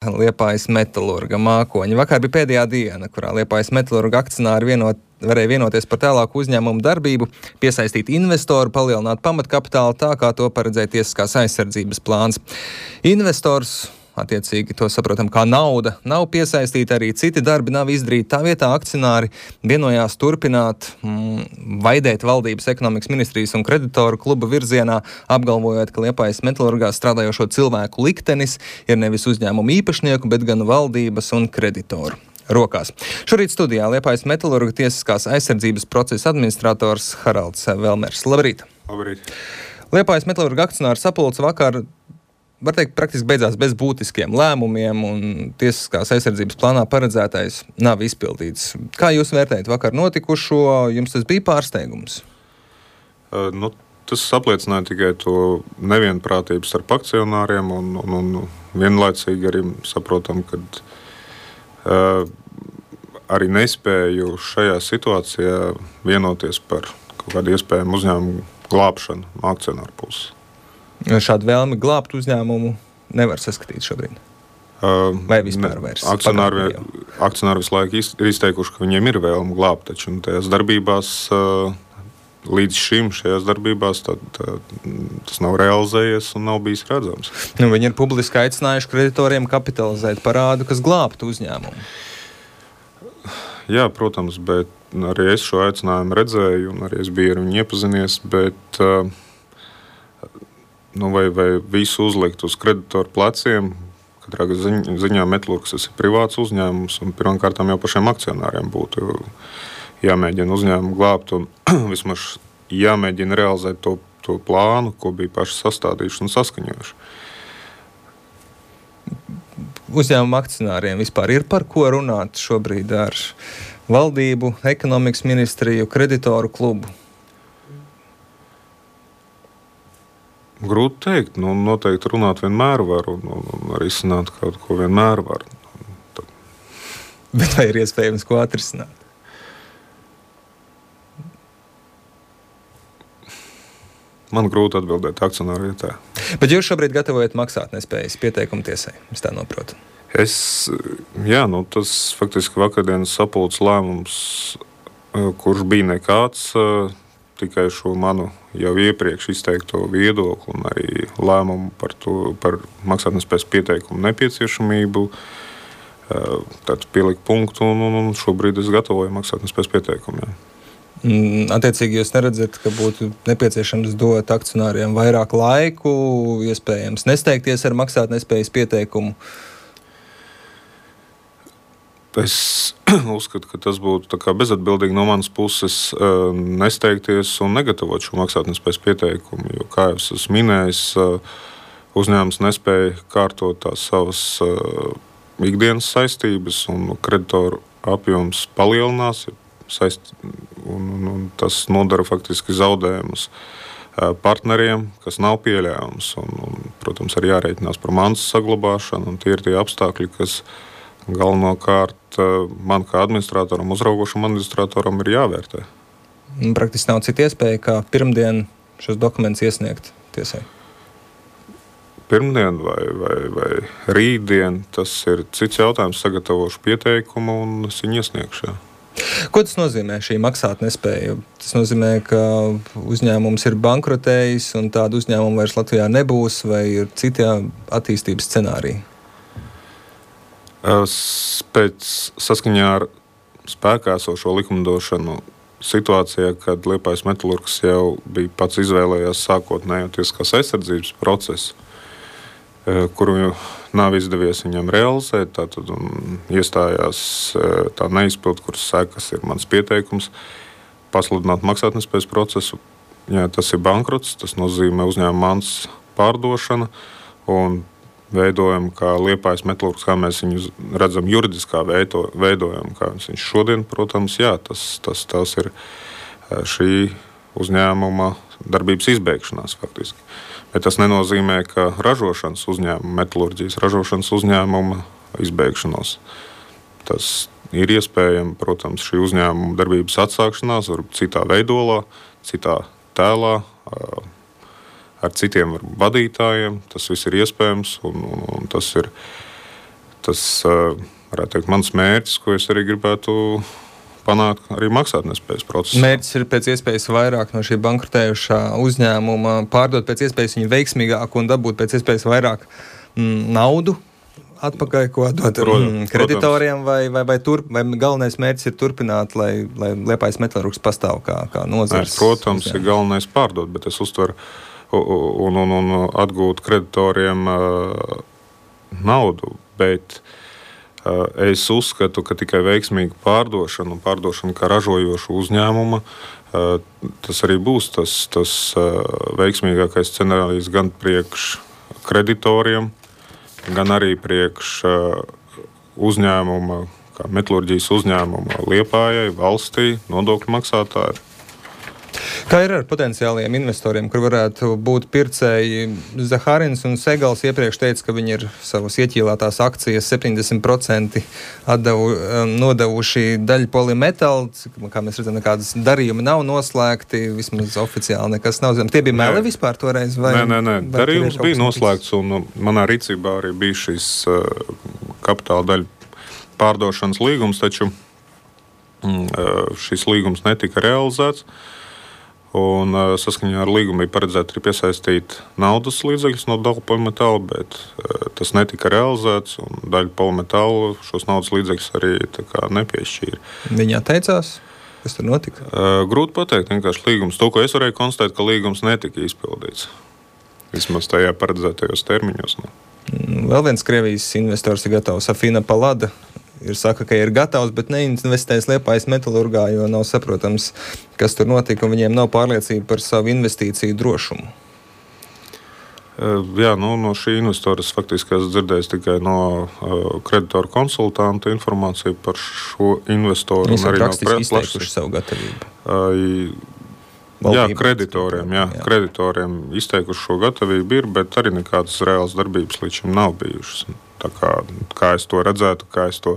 Liepājas metalurga mākoņa. Vakar bija pēdējā diena, kurā Liepājas metalurga akcionāri varēja vienoties par tālāku uzņēmumu darbību, piesaistīt investoru, palielināt pamatkapitālu tā, kā to paredzēja tiesiskās aizsardzības plāns. Investors, attiecīgi to saprotam kā nauda, nav piesaistīta, arī citi darbi nav izdarīti. Tā vietā akcionāri vienojās turpināt vaidēt valdības ekonomikas ministrijas un kreditoru kluba virzienā, apgalvojot, ka Liepājas metalurgā strādājošo cilvēku liktenis ir nevis uzņēmumu īpašnieku, bet gan valdības un kreditoru rokās. Šorīt studijā Liepājas metalurga tiesiskās aizsardzības procesa administrators Haralds Velmers. Labrīt! Labrīt! Liepājas metalurga akcionāru sapulce vakar, var teikt, praktiski beidzās bez būtiskiem lēmumiem, un tiesiskās aizsardzības plānā paredzētais nav izpildīts. Kā jūs vērtējat vakar notikušo? Jums tas bija pārsteigums? Tas apliecināja tikai to nevienprātību starp akcionāriem, un vienlaicīgi arī saprotam, ka arī nespēju šajā situācijā vienoties par kaut kādu iespējamu uzņēmumu glābšanu no akcionāru puses. Šādu vēlmi glābt uzņēmumu nevar saskatīt šobrīd? Vai vispār vairs? Akcionāri visu laiku ir izteikuši, ka viņiem ir vēlme glābt, taču tajās darbībās, līdz šim šajās darbībās tas nav realizējies un nav bijis redzams. Viņi ir publiski aicinājuši kreditoriem kapitalizēt parādu, kas glābtu uzņēmumu. Jā, protams, bet arī es šo aicinājumu redzēju un arī es biju ar viņu iepazinies, bet vai visu uzlikt uz kreditoru pleciem. Katrā ziņā metalurgs tas ir privāts uzņēmums, un pirmkārtām jau pašiem akcionāriem būtu jāmēģina uzņēmumu glābt un vismaz jāmēģina realizēt to plānu, ko bija paši sastādījuši un saskaņojuši. Uzņēmumu akcionāriem vispār ir par ko runāt šobrīd ar valdību, ekonomikas ministriju, kreditoru klubu? Grūti teikt. Noteikti runāt vienmēr var un arī izsināt kaut ko vienmēr var. Bet vai ir iespējams ko atrisināt? Man grūti atbildēt akcionāru vietā. Bet jūs šobrīd gatavojat maksātnespējas pieteikumu tiesai, es tā noprotu. Tas faktiski vakardienas sapulces lēmums, kurš bija nekāds, tikai šo manu jau iepriekš izteikto viedokli un arī lēmumu par maksātnespējas pieteikumu nepieciešamību. Tad pielikt punktu un šobrīd es gatavoju maksātnespējas pieteikumu. Jā. Attiecīgi jūs neredzat, ka būtu nepieciešams dot akcionāriem vairāk laiku, iespējams nesteigties ar maksātnespējas pieteikumu? Es uzskatu, ka tas būtu bezatbildīgi no manas puses nesteigties un negatavot šo maksātnespējas pieteikumu, jo, kā jau es minējis, uzņēmums nespēja kārtot tās savas ikdienas saistības un kreditoru apjoms palielinās, un tas nodara faktiski zaudējumus partneriem, kas nav pieļaujams. Protams, arī jārēķinās par mantas saglabāšanu, un tie ir tie apstākļi, kas galvenokārt man kā administratoram, uzraugošam administratoram ir jāvērtē. Praktiski nav cita iespēja, kā pirmdien šos dokumentus iesniegt tiesai? Pirmdien vai rītdien, tas ir cits jautājums, sagatavošu pieteikumu un es viņu iesniegšu. Ko tas nozīmē, šī maksātnespēja? Tas nozīmē, ka uzņēmums ir bankrotējis un tādu uzņēmumu vairs Latvijā nebūs, vai ir citi attīstības scenāriji? Pēc saskaņā ar spēkā esošo likumdošanu situācijā, kad Liepājas metalurgs jau bija pats izvēlējās sākotnējo tiesiskās aizsardzības procesu, kuru nav izdevies viņam realizēt, tātad iestājās tā neizpildu, kuras sekas ir mans pieteikums, pasludināt maksātnespējas procesu. Jā, tas ir bankrots, tas nozīmē uzņēmuma mantas pārdošana un veidojam, kā Liepājas metalurgs, kā mēs viņu redzam juridiskā veidojam, kā viņš šodien, protams, jā, tas ir šī uzņēmuma darbības izbeigšanās faktiski. Bet tas nenozīmē, ka ražošanas uzņēmuma, metalurģijas ražošanas uzņēmuma izbeigšanos. Tas ir iespējams, protams, šī uzņēmuma darbības atsākšanās, varbūt citā veidolā, citā tēlā, ar citiem vadītājiem. Tas viss ir iespējams, un tas ir tas, varētu teikt, mans mērķis, ko es arī gribētu panākt arī maksātnespējas procesā. Mērķis ir pēc iespējas vairāk no šī bankrotējušā uzņēmuma pārdot pēc iespējas viņu veiksimīgāk un dabūt pēc iespējas vairāk naudu atpakaļ, ko dot kreditoriem, vai galvenais mērķis ir turpināt, lai Liepājas metālurgs pastāv kā nozares. Protams, ir galvenais pārdot, bet es uztveru un atgūt kreditoriem naudu, bet es uzskatu, ka tikai veiksmīga pārdošana un pārdošana kā ražojošu uzņēmuma, tas arī būs tas veiksmīgākais scenārijs gan priekš kreditoriem, gan arī priekš uzņēmuma, kā metālurģijas uzņēmuma Liepājai, valstī, nodokļu maksātāji. Kā ir ar potenciāliem investoriem, kur varētu būt pircēji? Zahārins un Segals iepriekš teica, ka viņi ir savas ieķīlātās akcijas 70% nodevuši daļu Polymetal, kā mēs redzam, nekādas darījumi nav noslēgti, vismaz oficiāli nekas nav zināms. Tie bija meli vispār toreiz? Nē. Darījums bija noslēgts, un manā rīcībā arī bija šis kapitāla daļu pārdošanas līgums, taču šis līgums netika realizēts. Un saskaņā ar līgumu bija paredzēts arī piesaistīt naudas līdzekļus no daļu Polymetal, bet tas netika realizēts, un daļu Polymetal šos naudas līdzekļus arī nepiešķīra. Viņi atteicās? Kas tur notika? Grūti pateikt, vienkārši līgums. To, ko es varēju konstatēt, ka līgums netika izpildīts. Vismaz tajā paredzētajos termiņos. Vēl viens Krievijas investors ir gatavs, Afina Palada. Saka, ka ir gatavs, bet neinvestēs Liepājas metālurgā, jo nav saprotams, kas tur notika, un viņiem nav pārliecība par savu investīciju drošumu. Jā, no šī investora es faktiski esmu dzirdējis tikai no kreditoru konsultanta informāciju par šo investoru. Viņi ir rakstiski izteikuši savu gatavību. Kreditoriem izteikuši šo gatavību ir, bet arī nekādas reālas darbības līdz šim nav bijušas. Tā kā es to redzētu, kā es to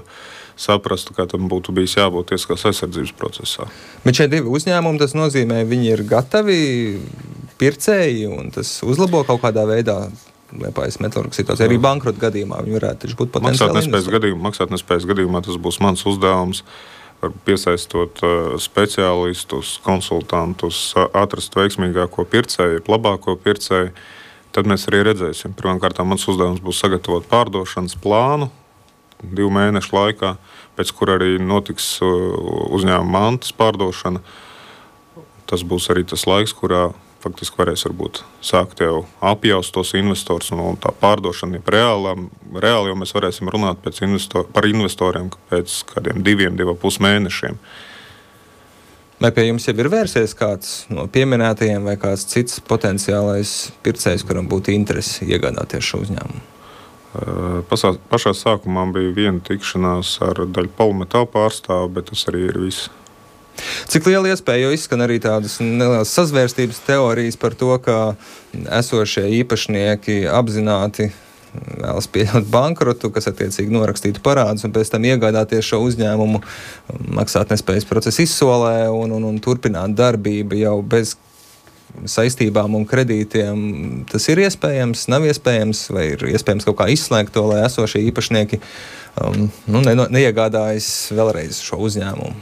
saprastu, kā tam būtu bijis jābūt tiesiskās aizsardzības procesā. Bet šie divi uzņēmumi, tas nozīmē, viņi ir gatavi pircēji, un tas uzlabo kaut kādā veidā Liepājas metālurgas situāciju. Arī bankrota gadījumā viņi varētu būt potenciāli investori. Maksātnespējas gadījumā tas būs mans uzdevums, piesaistot speciālistus, konsultantus, atrast veiksmīgāko pircēju, labāko pircēju. Tad mēs arī redzēsim. Pirmkārt, mans uzdevums būs sagatavot pārdošanas plānu 2 mēnešu laikā, pēc kura arī notiks uzņēmuma mantas pārdošana. Tas būs arī tas laiks, kurā faktiski varēs varbūt sākt jau apjaust tos investors, un tā pārdošana ir reāli, jo mēs varēsim runāt par investoriem pēc kādiem 2,5 mēnešiem. Vai pie jums jau ir vērsies kāds no pieminētajiem vai kāds cits potenciālais pircējs, kuram būtu interesi iegādāties šo uzņēmumu? Pašā sākumā bija viena tikšanās ar daļu Polymetal pārstāvu, bet tas arī ir viss. Cik liela iespēja, jo izskan arī tādas nelielas sazvērstības teorijas par to, ka esošie īpašnieki apzināti vēlas pieļaut bankrotu, kas attiecīgi norakstītu parādus un pēc tam iegādāties šo uzņēmumu maksātnespējas procesa izsolē un turpināt darbību jau bez saistībām un kredītiem. Tas ir iespējams, nav iespējams, vai ir iespējams kaut kā izslēgt to, lai esošie īpašnieki neiegādājas vēlreiz šo uzņēmumu?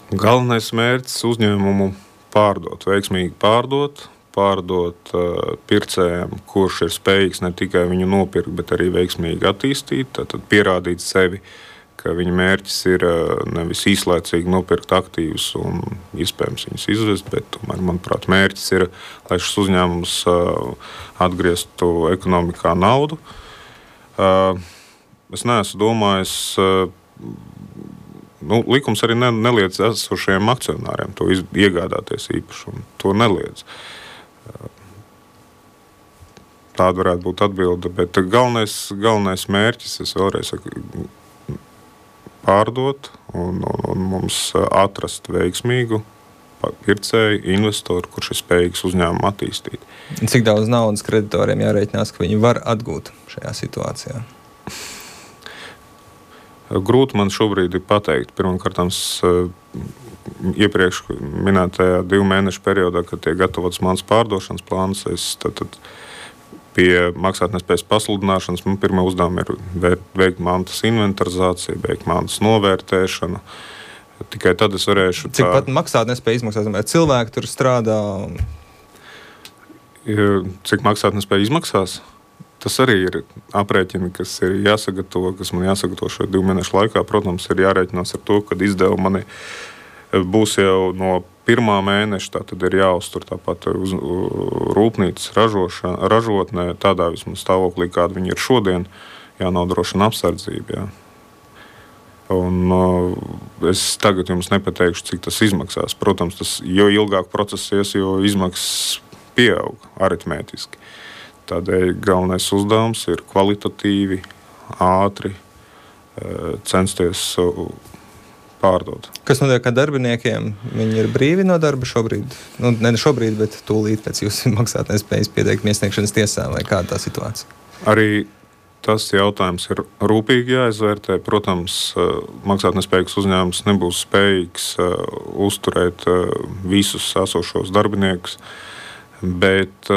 Galvenais mērķis uzņēmumu veiksmīgi pārdot pircējiem, kurš ir spējīgs ne tikai viņu nopirkt, bet arī veiksmīgi attīstīt, tad pierādīt sevi, ka viņa mērķis ir nevis īslaicīgi nopirkt aktīvus un iespējams viņus izvest, bet tomēr, manuprāt, mērķis ir, lai šis uzņēmums atgrieztu ekonomikā naudu. Es neesmu domājis, likums arī neliedz esošajiem akcionāriem to iegādāties īpašumu, to neliedz. Tāda varētu būt atbilde, bet galvenais mērķis, es vēlreiz saku, pārdot un mums atrast veiksmīgu pircēju, investoru, kurš ir spējīgs uzņēmumu attīstīt. Cik daudz naudas kreditoriem jārēķinās, ka viņi var atgūt šajā situācijā? Grūti man šobrīd ir pateikt. Pirmkārt, iepriekš minētajā 2 mēnešu periodā, kad tiek gatavots mans pārdošanas plāns, es tad Pie maksātnespējas pasludināšanas man pirmā uzdevuma ir veikt mantas inventarizāciju, veikt mantas novērtēšanu. Tikai tad es varēšu... Cik pat maksātnespēja izmaksās? Cilvēki tur strādā? Cik maksātnespēja izmaksās? Tas arī ir aprēķini, kas ir jāsagatavo, kas man jāsagatavo šo 2 mēnešu laikā. Protams, ir jārēķinās ar to, kad izdevumi mani būs jau no 1. mēneša, tā tad ir jāuztur tāpat uz rūpnīcas ražotnē, tādā vismaz stāvoklī, kāda viņi ir šodien, jānodrošina apsardzība. Jā. Un es tagad jums nepateikšu, cik tas izmaksās. Protams, jo ilgāk process ies, jo izmaksas pieaug aritmētiski. Tādēļ galvenais uzdevums ir kvalitatīvi, ātri censties pārdot. Kas notiek ar darbiniekiem? Viņi ir brīvi no darba šobrīd? Ne šobrīd, bet tūlīt pēc jūsu maksātnespējas pieteikuma iesniegšanas tiesā, vai kāda tā situācija? Arī tas jautājums ir rūpīgi jāizvērtē. Protams, maksātnespējīgs uzņēmums nebūs spējīgs uzturēt visus esošos darbiniekus, bet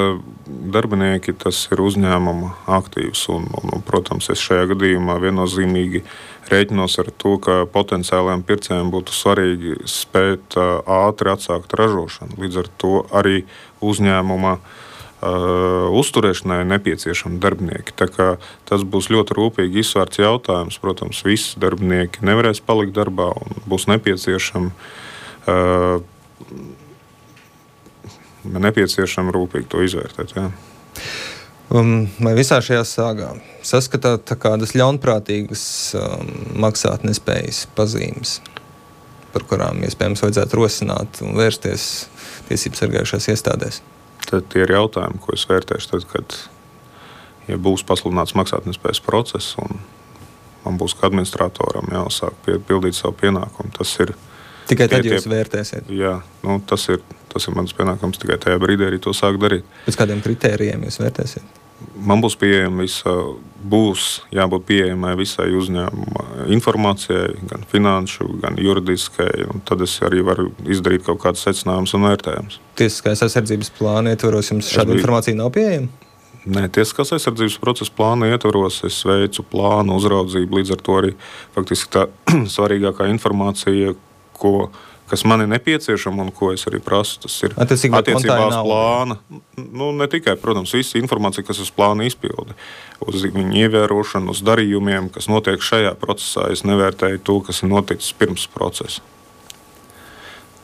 darbinieki tas ir uzņēmuma aktīvs. Un, protams, es šajā gadījumā viennozīmīgi rēķinos ar to, ka potenciālajiem pircējiem būtu svarīgi spēt ātri atsākt ražošanu. Līdz ar to arī uzņēmuma uzturēšanai nepieciešami darbinieki. Tā kā tas būs ļoti rūpīgi izsvērts jautājums. Protams, visi darbinieki nevarēs palikt darbā un būs nepieciešami rūpīgi to izvērtēt. Jā. Vai visā šajā sāgā saskatāt kādas ļaunprātīgas maksātnespējas pazīmes, par kurām iespējams vajadzētu rosināt un vērsties tiesību sargājušās iestādēs? Tad tie ir jautājumi, ko es vērtēšu tad, kad būs pasludināts maksātnespējas process un man būs kā administratoram jāsāk pildīt savu pienākumu. Tas ir tikai tad jūs vērtēsiet? Jā, tas ir mans pienākums, tikai tajā brīdī arī to sāk darīt. Pēc kādiem kritērijiem jūs vērtēsiet? Man būs jābūt pieejamai visai uzņēmuma informācijai, gan finanšu, gan juridiskai, un tad es arī varu izdarīt kaut kādus secinājumus un vērtējumus. Tiesiskās aizsardzības plāna ietvaros jums šāda informācija nav pieejama? Nē, tiesiskās aizsardzības procesa plāna ietvaros es veicu plānu uzraudzību, līdz ar to arī faktiski tā svarīgākā informācija, kas man ir nepieciešama un ko es arī prasu, tas ir attiecībā uz plāna. Ne tikai, protams, visa informācija, kas uz plāna izpildi, uz viņu ievērošanu, uz darījumiem, kas notiek šajā procesā. Es nevērtēju to, kas ir noticis pirms procesa.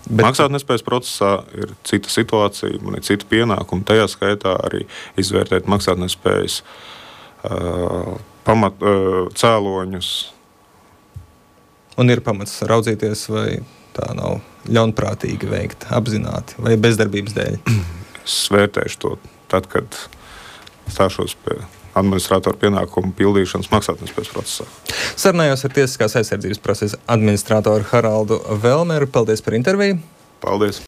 Maksātnespējas procesā ir cita situācija, man ir cita pienākuma, tajā skaitā arī izvērtēt maksātnespējas cēloņus. Un ir pamats raudzīties, vai tā nav ļaunprātīgi veikt, apzināti, vai bezdarbības dēļ? Es vērtēšu to tad, kad stāšos pie administratoru pienākumu pildīšanas maksātnespējas procesā. Sarunājos ar tiesiskās aizsardzības procesa administratoru Haraldu Velmeru. Paldies par interviju. Paldies.